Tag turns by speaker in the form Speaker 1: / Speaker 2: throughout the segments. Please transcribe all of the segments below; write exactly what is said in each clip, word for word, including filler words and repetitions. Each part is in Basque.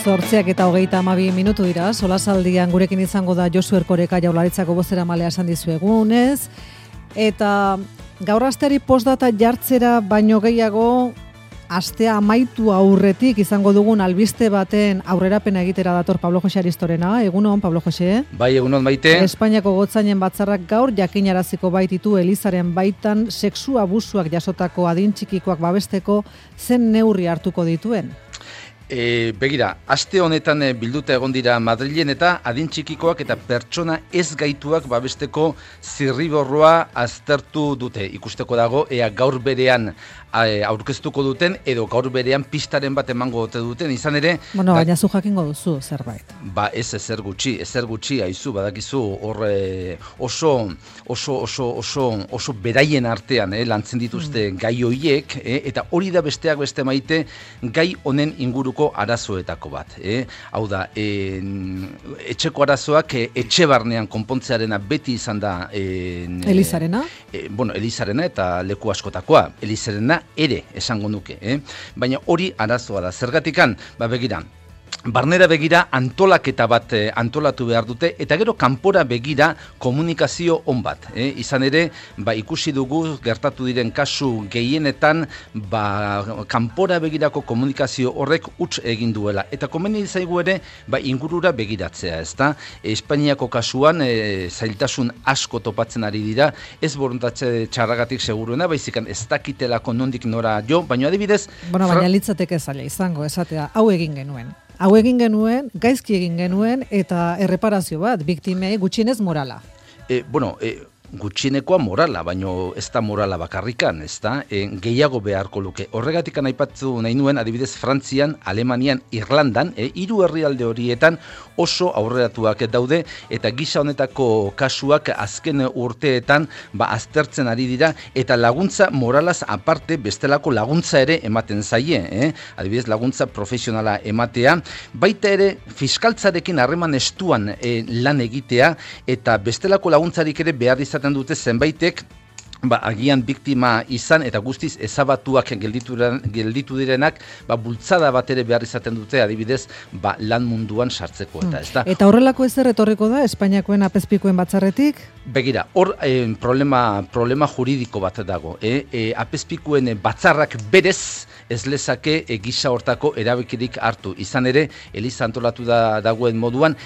Speaker 1: Zortziak eta hogeita hamabi minutu dira, solasaldian gurekin izango da Josu Erkoreka Jaurlaritzako bozeramalea esan dizuegunez, eta gaur asteari postdata jartzera baino gehiago astea amaitu aurretik izango dugun albiste baten aurrerapena egitera dator Pablo Jose Aristorena. Egunon, Pablo Jose.
Speaker 2: Bai, egunon Maite.
Speaker 1: Espainiako gotzainen batzarrak gaur jakinaraziko baititu Elizaren baitan sexu abusuak jasotako adin txikikoak babesteko zen neurri hartuko dituen.
Speaker 2: E, begira, aste honetan e, bilduta egon dira Madrilen eta adin txikikoak eta pertsona ez gaituak babesteko zirriborroa aztertu dute. Ikusteko dago, ea gaur berean e, aurkeztuko duten edo gaur berean pistaren bat emango ote duten, izan ere...
Speaker 1: Bueno, baina zu jakingo duzu zerbait.
Speaker 2: Ba, ez ezer gutxi, ezer gutxi, haizu, badakizu, hor e, oso, oso, oso, oso, oso beraien artean eh, lantzen dituzte mm. gai hoiek, eh, eta hori da besteak beste Maite, gai honen inguruko arazoetako bat. Eh? Hau da, eh, etxeko arazoak eh, etxe barnean konpontzearena beti izan da... Eh,
Speaker 1: Elizarena?
Speaker 2: Eh, bueno, Elizarena eta leku askotakoa. Elizarena ere esango nuke. Eh? Baina hori arazoa da. Zergatikan, ba begira, barnera begira antolaketa bat eh, antolatu behar dute, eta gero kanpora begira komunikazio on bat. Eh? Izan ere, ba, ikusi dugu gertatu diren kasu gehienetan, ba, kanpora begirako komunikazio horrek huts egin duela. Eta komeni zaigu ere, ba, ingurura begiratzea, ezta? Espainiako kasuan e, zailtasun asko topatzen ari dira, ez borontatze txarragatik seguruena, baizikan ez dakitelako nondik nora jo, baina adibidez...
Speaker 1: Bueno, baina fra... litzateke zaila izango, esatea, hau egin genuen. Hau egin genuen, gaizki egin genuen, eta erreparazio bat, biktimei gutxienez morala.
Speaker 2: E, bueno, e, gutxienekoa morala, baino ez da morala bakarrikan, ez da, e, gehiago beharko luke. Horregatik aipatu nahi nuen, adibidez, Frantzian, Alemanian, Irlandan, e, hiru herrialde horietan oso aurreratuak daude, eta gisa honetako kasuak azken urteetan ba, aztertzen ari dira, eta laguntza moralaz aparte bestelako laguntza ere ematen zaie, eh? Adibidez, laguntza profesionala ematea, baita ere fiskaltzarekin harreman estuan e, lan egitea, eta bestelako laguntzarik ere behar izaten dute zenbaitek, ba, agian biktima izan eta guztiz ezabatuak gelditu, gelditu direnak, ba, bultzada bat ere behar izaten dute, adibidez, ba, lan munduan sartzeko. Eta, ez da?
Speaker 1: Eta horrelako ezer etorriko da Espainiakoen apezpikuen batzarretik?
Speaker 2: Begira, hor eh, problema, problema juridiko bat dago. Eh? E, apezpikuen batzarrak berez ez lezake e, gisa hortako erabekirik hartu. Izan ere, Eliza antolatu da, dagoen moduan,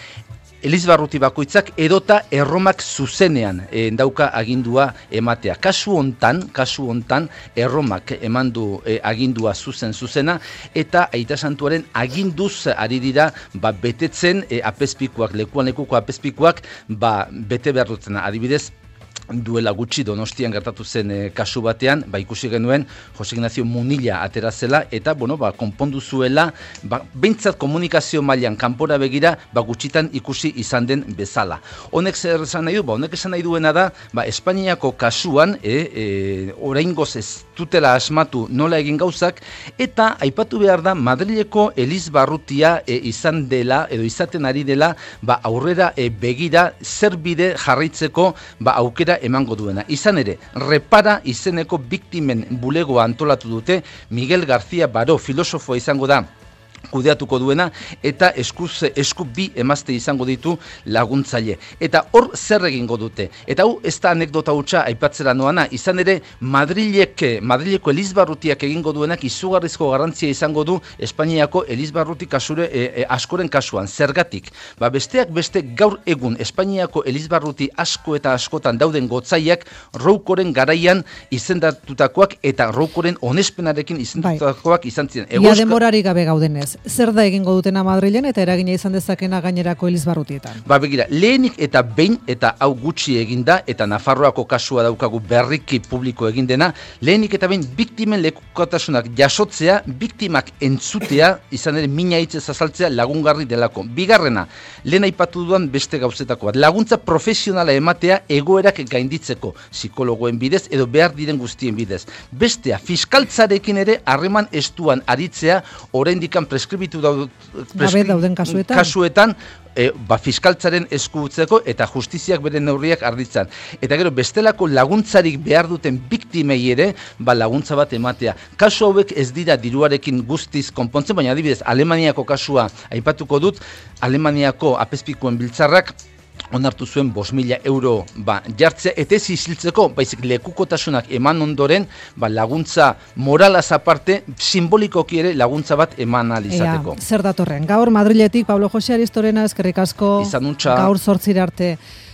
Speaker 2: Elizbarruti bakoitzak edota erromak zuzenean e, dauka agindua ematea. Kasu hontan, kasu hontan erromak emandu e, agindua zuzen zuzena, eta Aita Santuaren aginduz ari dira ba, betetzen e, apezpikuak, lekuan lekuko apezpikuak ba, bete behar dutena. Adibidez, duela gutxi Donostian gertatu zen e, kasu batean, ba, ikusi genuen Jose Ignacio Munilla atera zela, eta bueno, ba, konpondu zuela, ba, behintzat komunikazio mailan kanpora begira, ba, gutxitan ikusi izan den bezala. Honek zer esan nahi du? Ba, honek esan nahi duena da, ba, Espainiako kasuan, e, e, oraingoz ez dutela asmatu nola egin gauzak, eta aipatu behar da Madrileko Elizbarrutia e, izan dela, edo izaten ari dela, ba, aurrera e, begira zer bide jarraitzeko ba, aukera emango duena. Izan ere, Repara izeneko biktimen bulegoa antolatu dute, Miguel García Baró filosofoa izango da kudeatuko duena, eta eskuz, esku bi emazte izango ditu laguntzaile. Eta hor zer egingo dute. Eta hau ez da anekdota hutsa aipatzera noana, izan ere Madrilek, Madrileko Elizbarrutiak egingo duenak izugarrizko garrantzia izango du Espainiako Elizbarruti kasure, e, e, askoren kasuan. Zergatik? Ba, besteak beste gaur egun Espainiako Elizbarruti asko eta askotan dauden gotzaiak Roukoren garaian izendatutakoak eta Roukoren onespenarekin izendatutakoak izan ziren.
Speaker 1: Ia denborarik gabe gaudenez. Zer da egingo dutena Madrilen eta eragina izan dezakena gainerako Elizbarrutietan? Ba
Speaker 2: begira, lehenik eta behin, eta hau gutxi eginda, eta Nafarroako kasua daukagu berriki publiko egin dena, lehenik eta behin biktimen lekukotasunak jasotzea, biktimak entzutea, izan ere mina hitzez azaltzea lagungarri delako. Bigarrena, lehen aipatu duan beste gauzetako bat, laguntza profesionala ematea egoerak gainditzeko, psikologoen bidez edo behar diren guztien bidez. Bestea, fiskaltzarekin ere harreman estuan aritzea, oraindikan preskribitu dauden kasuetan, kasuetan e, ba, fiskaltzaren esku utzeko eta justiziak bere neurriak arditzan. Eta gero, bestelako laguntzarik behar duten biktimei ere, ba, laguntza bat ematea. Kasu hauek ez dira diruarekin guztiz konpontzen, baina adibidez, Alemaniako kasua aipatuko dut, Alemaniako apezpikuen biltzarrak onartu zuen bost mila euro ba, jartzea, eta ez isiltzeko, baizik lekukotasunak eman ondoren, ba, laguntza moralaz aparte, simbolikoki ere laguntza bat eman alizateko.
Speaker 1: Ea, zer datorren, gaur Madriletik Pablo Jose Aristorena eskerrik asko,
Speaker 2: izan untxa,
Speaker 1: gaur zortzira arte.